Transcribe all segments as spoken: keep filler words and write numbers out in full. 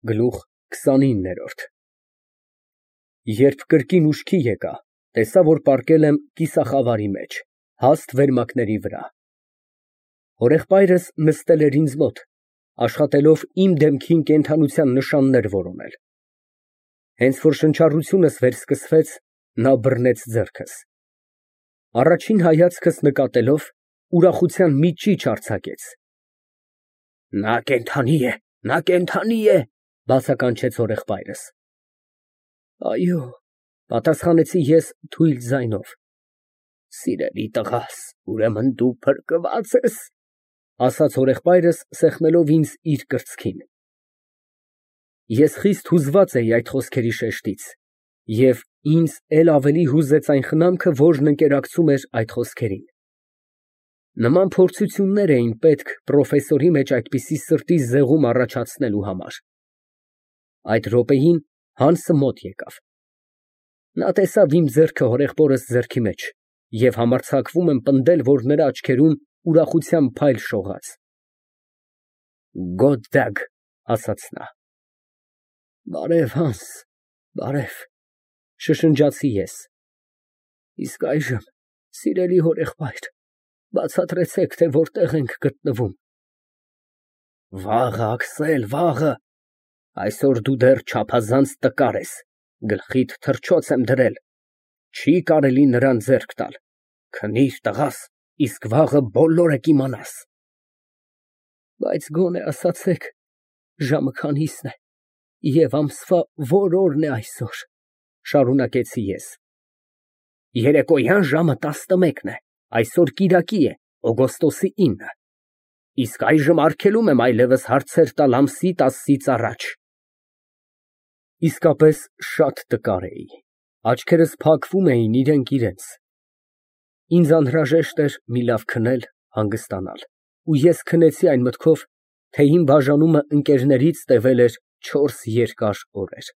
Գլուխ քսանիններորդ Երբ կրկին ուշքի եկա, տեսա, որ պառկել եմ կիսախավարի մեջ, հաստ վերմակների վրա, հորեղբայրս նստել էր ինձ մոտ, աշխատելով իմ դեմքին կենդանության նշաններ որոնել, հենց որ շնչառությունս վերսկսվեց, նա բռնեց ձեռքս, առաջին հայացքս նկատելով, ուրախության մի ճիչ արձակեց. «Նա կենդանի է, նա կենդանի է», բացականչեց հորեղբայրս։ «Այո», պատասխանեցի ես թույլ ձայնով։ «Սիրելի տղաս, ուրեմն դու փրկված ես», ասաց հորեղբայրս, սեղմելով ինձ իր կրծքին։ Ես խիստ հուզված էի այդ խոսքերի շեշտից, և ինձ էլ ավելի հուզեց այն խնամքը, որն ընկերակցում էր այդ խոսքերին։ Նման փորձություններ էին պետք պրոֆեսորի մեջ այդպիսի սրտի զեղում առաջացնելու համար։ Այդ րոպեին Հանսը մոտ եկավ։ Նա տեսավ իմ ձեռքը հորեղբորս ձեռքի մեջ և համարձակվում եմ պնդել, որ նրա աչքերում ուրախության փայլ շողաց։ «Գոդդագ», ասաց նա։ «Բարև, Հանս, բարև», շշնջացի ես։ «Իսկ այժմ, սիրելի հորեղբայր, բացատրեցեք, թե որտեղ ենք գտնվում»։ «Վաղը, Աքսել, վաղը, այսօր դու դեռ չափազանց տկար ես, գլխիդ թռչոց եմ դրել, չի կարելի նրան ձեռք տալ, քնիր, տղաս, իսկ վաղը բոլորը կիմանաս»։ «Բայց գոնե ասացեք, ժամը քանի՞սն է և ամսվա որ օրն է այսօր», շարունակեցի ես։ «Երեկոյան ժամը տասնմեկն է, այսօր կիրակի է, օգոստոսի ինը, իսկ այժմ արգելում եմ այլևս հարցեր տալ ամսի տասից առաջ»։ Իսկապես շատ տկար էի, աչքերս փակվում էին իրենք իրենց։ Ինձ անհրաժեշտ էր մի լավ քնել, հանգստանալ, ու ես քնեցի այն մտքով, թե իմ բաժանումը ընկերներից տևել էր չորս երկար օրեր։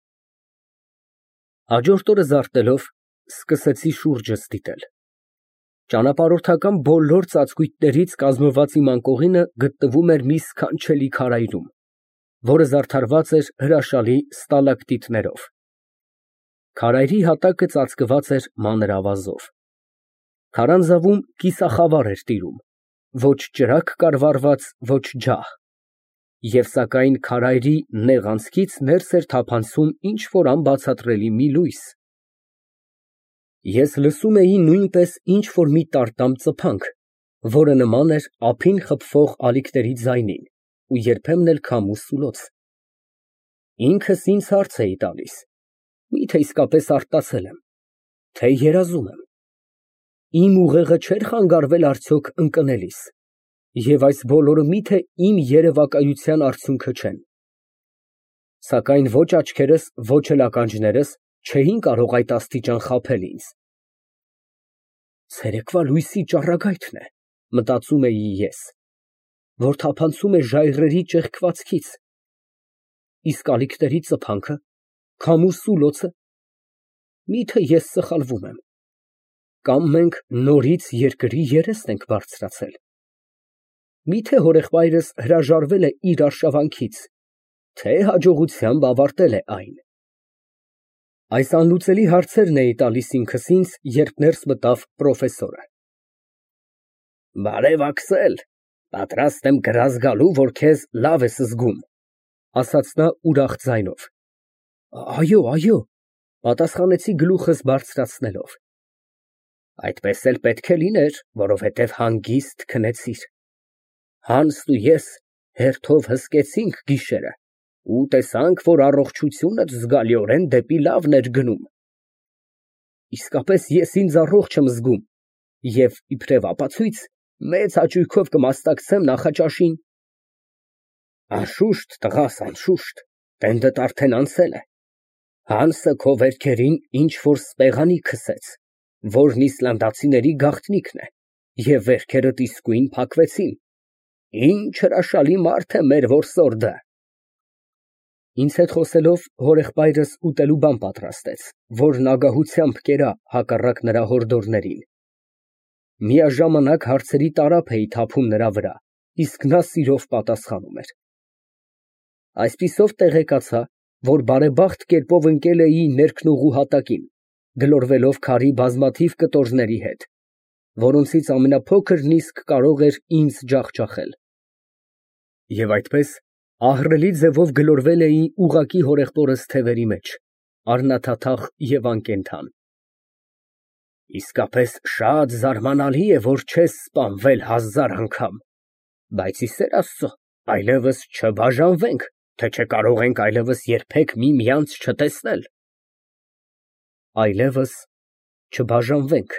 Հաջորդ օրը զարթնելով, սկսեցի շուրջս դիտել։ Ճանապարհորդական բոլոր ծածկույթներից կազմված իմ անկողինը գտնվում էր մի սքանչելի քարայրում, որը զարդարված էր հրաշալի ստալակտիտներով։ Քարայրի հատակը ծածկված էր մանր ավազով։ Քարանձավում կիսախավար էր տիրում, ոչ ճրագ կար վառված, ոչ ջահ, և սակայն քարայրի նեղ անցքից ներս էր թափանցում ինչ֊որ անբացատրելի մի լույս։ Ես լսում էի նույնպես ինչ֊որ մի տարտամ ծփանք, որը նման էր ափին խփվող ալիքների ձայնին ու երբեմն էլ քամու սուլոց։ Ինքս ինձ հարց էի տալիս. միթե իսկապես արտասել եմ, թե երազում եմ։ Իմ ուղեղը չէր խանգարվել արդյոք ընկնելիս, և այս բոլորը միթե իմ երևակայության արդյունքը չեն։ Սակայն ոչ աչքերս, ոչ էլ ականջներս չէին կարող այդ աստիճան խաբել ինձ։ Ցերեկվա լույսի ճառագայթն է, մտածում էի ես, որ թափանցում է ժայռերի ճեղքվածքից, իսկ ալիքների ծփանքը, քամու սուլոցը, միթե ես սխալվում եմ, կամ մենք նորից երկրի երեստ ենք բարձրացել, միթե հորեղբայրս հրաժարվել է իր արշավանքից, թե հաջողությամբ ավարտել է այն։ Այս անլուծելի հարցերն էի տալիս ինքս ինձ, երբ ներս մտավ պրոֆեսորը։ «Բարև, Աքսել, պատրաստ եմ գրազ գալու, որ քեզ լավ ես զգում», ասաց նա ուրախ ձայնով։ «Այո, այո», պատասխանեցի գլուխս բարձրացնելով։ «Այդպես էլ պետք է լիներ, որովհետև հանգիստ քնեցիր։ Հանսն ու ես հերթով հսկեցինք գիշերը ու տեսանք, որ առողջությունդ զգալիորեն դեպի լավն էր գնում»։ «Իսկապես ես ինձ առողջ եմ զգում և, իբրև ապացույց, մեծ հաճույքով կմասնակցեմ նախաճաշին»։ «Անշուշտ, տղաս, անշուշտ, տենդդ արդեն անցել է։ Հանսը քո վերքերին ինչ֊որ սպեղանի քսեց, որն իսլանդացիների գաղտնիքն է, և վերքերդ իսկույն փակվեցին։ Ինչ հրաշալի մարդ է մեր որսորդը»։ Ինձ հետ խոսելով հորեղբայրս ուտելու բան պատրաստեց, որն ագահությամբ կերա հակառակ նրա հորդորներին։ Միաժամանակ հարցերի տարափ էի թափում նրա վրա, իսկ նա սիրով պատասխանում էր։ Այսպիսով տեղեկացա, որ բարեբախտ կերպով ընկել էի ներքնուղու հատակին, գլորվելով քարի բազմաթիվ կտորների հետ, որոնցից ամենափոքրն իսկ կարող էր ինձ ջախջախել, և այդպես ահռելի ձևով գլորվել էի ուղղակի հորեղբորս թևերի մեջ, առնաթաթախ և անկենդան։ Իսկապես շատ զարմանալի է, որ չես սպանվել հազար անգամ, բայց ի սեր Աստծո, այլևս չբաժանվենք, թե չէ կարող ենք այլևս երբեք միմյանց չտեսնել։ Այլևս չբաժանվենք,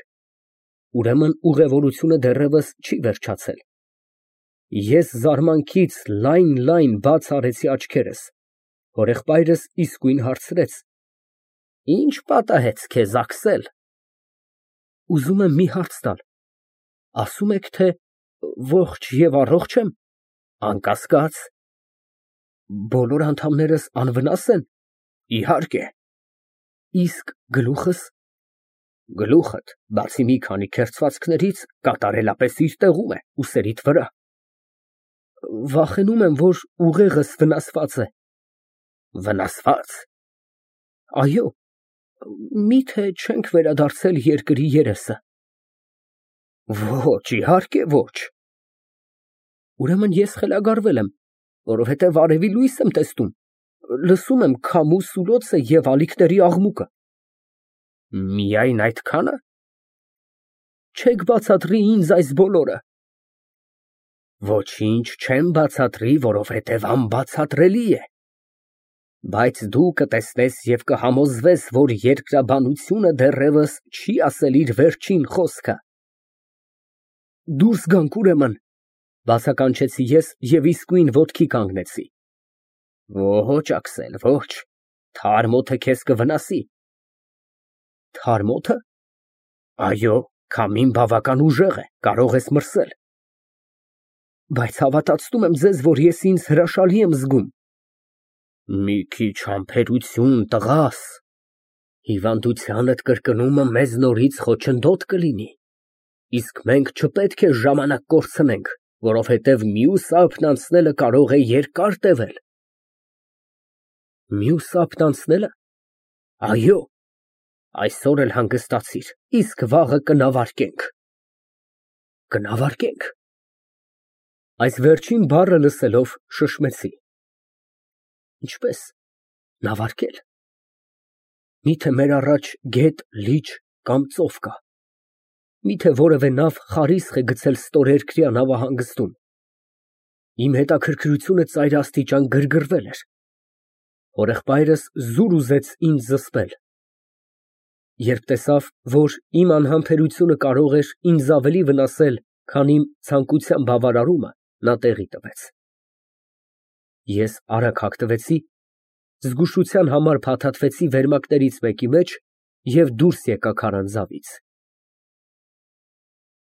ուրեմն ուղևորությունը դեռևս չի վերջացել։ Ես զարմանքից լայն֊լայն բաց արեցի աչքերս, հորեղբայրս իսկույն հարցրեց. Ի՞նչ պատահեց քեզ, Աքսել։ Ուզում եմ մի հարց տալ, ասում եք, թե ողջ և առողջ եմ։ Անկասկած։ Բոլոր անդամներս անվնաս են։ Իհարկե։ Իսկ գլուխս։ Գլուխդ, բացի մի քանի քերծվածքներից, կատարելապես իր տեղում է, ուսերիդ վրա։ Վախենում եմ, որ ուղեղս վնասված է։ Վնասվա՞ծ։ Այո, միթե չենք վերադարձել երկրի երեսը։ Ոչ, իհարկե ոչ։ Ուրեմն ես խելագարվել եմ, որովհետև արևի լույս եմ տեսնում, լսում եմ քամու սուլոցը և ալիքների աղմուկը։ Միայն այդքա՞ն։ Չեք բացատրի ինձ այս բոլորը։ Ոչինչ չեմ բացատրի, որովհետև անբացատրելի է։ Բայց դու կտեսնես և կհամոզվես, որ երկրաբանությունը դեռևս չի ասել իր վերջին խոսքը։ Դուրս գանք, ուրեմն, բացականչեցի ես և իսկույն ոտքի կանգնեցի։ Ոչ, Աքսել, ոչ, թարմ օդը քեզ կվնասի։ Թարմ օդը։ Այո, քամին բավական ուժեղ է, կարող ես մրսել։ Բայց հավատացնում եմ ձեզ, որ ես ինձ հրաշալի եմ զգում։ Մի քիչ համբերություն, տղաս, հիվանդությանդ կրկնումը մեզ նորից խոչընդոտ կլինի, իսկ մենք չպետք է ժամանակ կորցնենք, որովհետև մյուս ափն անցնելը կարող է երկար տևել։ Մյուս ափն անցնելը։ Այո, այսօր էլ հանգստացիր, իսկ վաղը կնավարկենք։ Կնավարկենք։ Այս վերջին բառը լսելով շշմեցի։ Ինչպես նավարկել։ Միթե մեր առաջ գետ, լիճ կամ ծով կա։ Միթե որևէ նավ խարիսխ է գցել ստորերկրյա նավահանգստում։ Իմ հետաքրքրությունը ծայրաստիճան գրգռվել էր։ Հորեղբայրս զուր ուզեց ինձ զսպել։ Երբ տեսավ, որ իմ անհամբերությունը կարող էր ինձ ավելի վնասել, քան իմ ցանկության բավարարումը, նա տեղի տվեց։ Ես արագ հագնվեցի, զգուշության համար փաթաթվեցի վերմակներից մեկի մեջ և դուրս եկա քարանձավից։